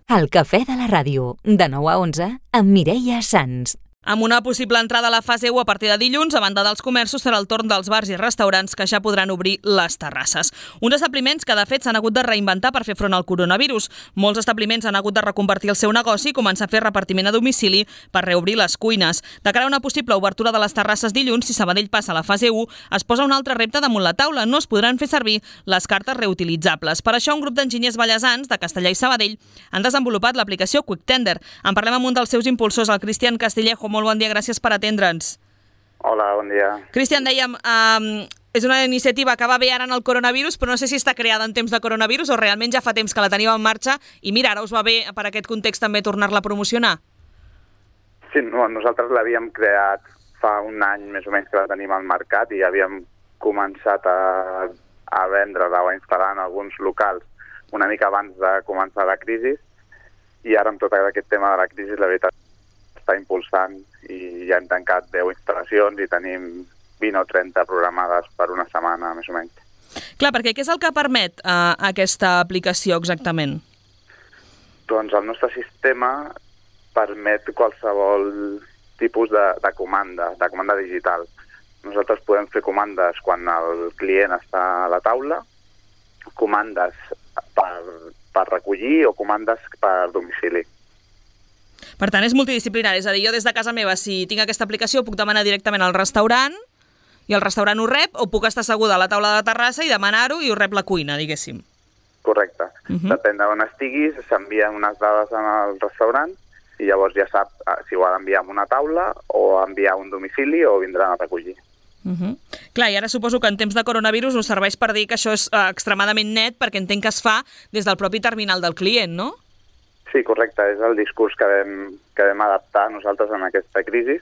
El cafè de la ràdio, de 9 a 11, amb Mireia Sans. Amb una possible entrada a la fase 1 a partir de dilluns, a banda dels comerços, serà el torn dels bars i restaurants que ja podran obrir les terrasses. Uns establiments que, de fet, s'han hagut de reinventar per fer front al coronavirus. Molts establiments han hagut de reconvertir el seu negoci i començar a fer repartiment a domicili per reobrir les cuines. De cara a una possible obertura de les terrasses dilluns, si Sabadell passa a la fase 1, es posa un altre repte damunt la taula. No es podran fer servir les cartes reutilitzables. Per això, un grup d'enginyers ballesans de Castellar i Sabadell han desenvolupat l'aplicació QuickTender. En parlem amb un dels seus impulsors, el Cristian Castillejo. Molt bon dia, gràcies per atendre'ns. Hola, bon dia. Cristian, dèiem, és una iniciativa que va bé ara en el coronavirus, però no sé si està creada en temps de coronavirus o realment ja fa temps que la teníeu en marxa i mira, ara us va bé per aquest context també tornar-la a promocionar. Sí, nosaltres l'havíem creat fa un any més o menys que la tenim al mercat i havíem començat a vendre-la o a instal·lar en alguns locals una mica abans de començar la crisi i ara amb tot aquest tema de la crisi la veritat està impulsant i ja hem tancat 10 instal·lacions i tenim 20 o 30 programades per una setmana, més o menys. Clar, perquè què és el que permet aquesta aplicació exactament? Doncs el nostre sistema permet qualsevol tipus de comanda digital. Nosaltres podem fer comandes quan el client està a la taula, comandes per recollir o comandes per domicili. Per tant, és multidisciplinari, és a dir, jo des de casa meva, si tinc aquesta aplicació, puc demanar directament al restaurant i el restaurant ho rep, o puc estar asseguda a la taula de la terrassa i demanar-ho i ho rep la cuina, diguéssim. Correcte. Depèn d'on estiguis, s'envien unes dades al restaurant i llavors ja sap si ho ha d'enviar a una taula o enviar a un domicili o vindran a recollir. Clar, i ara suposo que en temps de coronavirus us serveix per dir que això és extremadament net perquè entenc que es fa des del propi terminal del client, no? Sí, correcte. És el discurs que vam adaptar nosaltres en aquesta crisi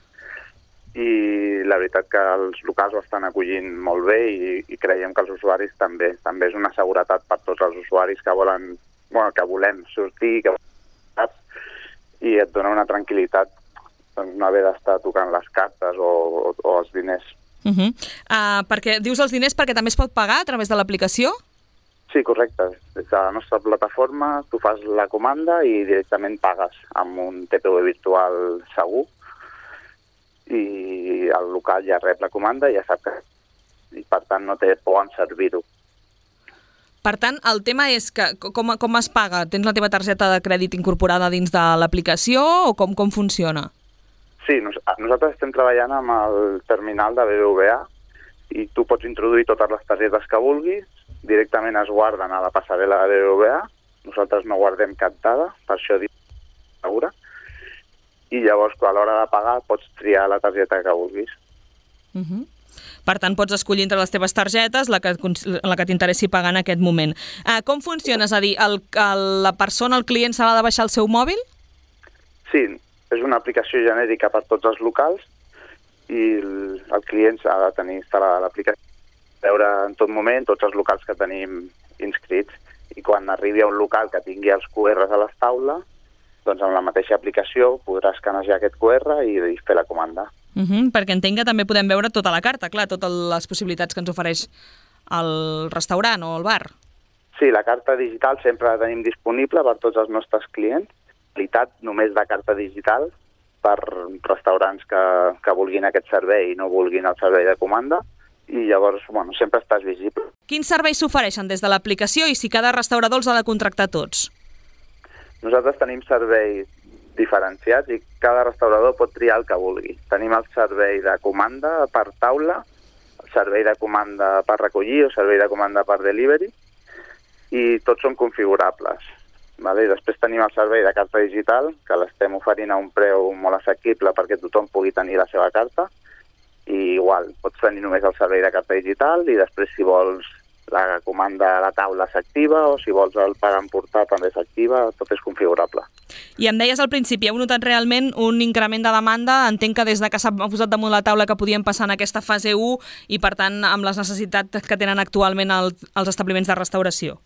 i la veritat que els locals ho estan acollint molt bé i creiem que els usuaris també. També és una seguretat per tots els usuaris que volem sortir, i et dona una tranquil·litat no haver d'estar tocant les cartes o els diners. Perquè dius els diners perquè també es pot pagar a través de l'aplicació? Sí, correcte. Des de la nostra plataforma tu fas la comanda i directament pagues amb un TPV virtual segur i el local ja rep la comanda i ja sap que i per tant no té por en servir-ho. Per tant, el tema és que com es paga? Tens la teva targeta de crèdit incorporada dins de l'aplicació o com funciona? Sí, nosaltres estem treballant amb el terminal de BBVA i tu pots introduir totes les targetes que vulguis, directament es guarden a la passarel·la de BBVA, nosaltres no guardem cap dada, per això dic segura, i llavors a l'hora de pagar pots triar la targeta que vulguis. Per tant, pots escollir entre les teves targetes la que t'interessi pagar en aquest moment. Com funciona? És a dir, la persona, el client, s'ha de baixar el seu mòbil? Sí, és una aplicació genèrica per tots els locals i el client s'ha de tenir instal·lada l'aplicació, veure en tot moment tots els locals que tenim inscrits i quan arribi a un local que tingui els QRs a les taules, doncs amb la mateixa aplicació podràs escanejar aquest QR i fer la comanda. Perquè entenc que també podem veure tota la carta, clar, totes les possibilitats que ens ofereix el restaurant o el bar. Sí, la carta digital sempre la tenim disponible per tots els nostres clients, qualitat només de carta digital per restaurants que vulguin aquest servei i no vulguin el servei de comanda, i llavors, sempre estàs visible. Quins serveis s'ofereixen des de l'aplicació i si cada restaurador els ha de contractar tots? Nosaltres tenim serveis diferenciats i cada restaurador pot triar el que vulgui. Tenim el servei de comanda per taula, el servei de comanda per recollir o servei de comanda per delivery i tots són configurables. I després tenim el servei de carta digital, que l'estem oferint a un preu molt assequible perquè tothom pugui tenir la seva carta. I igual, pots tenir només el servei de carta digital i després si vols la comanda a la taula s'activa o si vols el pagar emportar també s'activa, tot és configurable. I em deies al principi, heu notat realment un increment de demanda, entenc que des que s'ha posat damunt la taula que podien passar en aquesta fase 1 i per tant amb les necessitats que tenen actualment els establiments de restauració.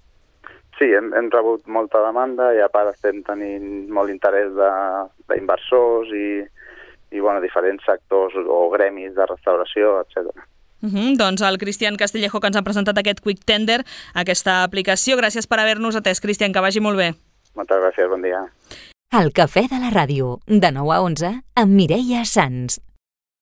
Sí, hem rebut molta demanda i a part estem tenint molt interès d'inversors i diferents sectors o gremis de restauració, etc. Doncs el Cristian Castillejo que ens ha presentat aquest QuickTender, aquesta aplicació. Gràcies per haver-nos atès, Cristian, que vagi molt bé. Moltes gràcies, bon dia. El Cafè de la Ràdio, de 9 a 11, amb Mireia Sans.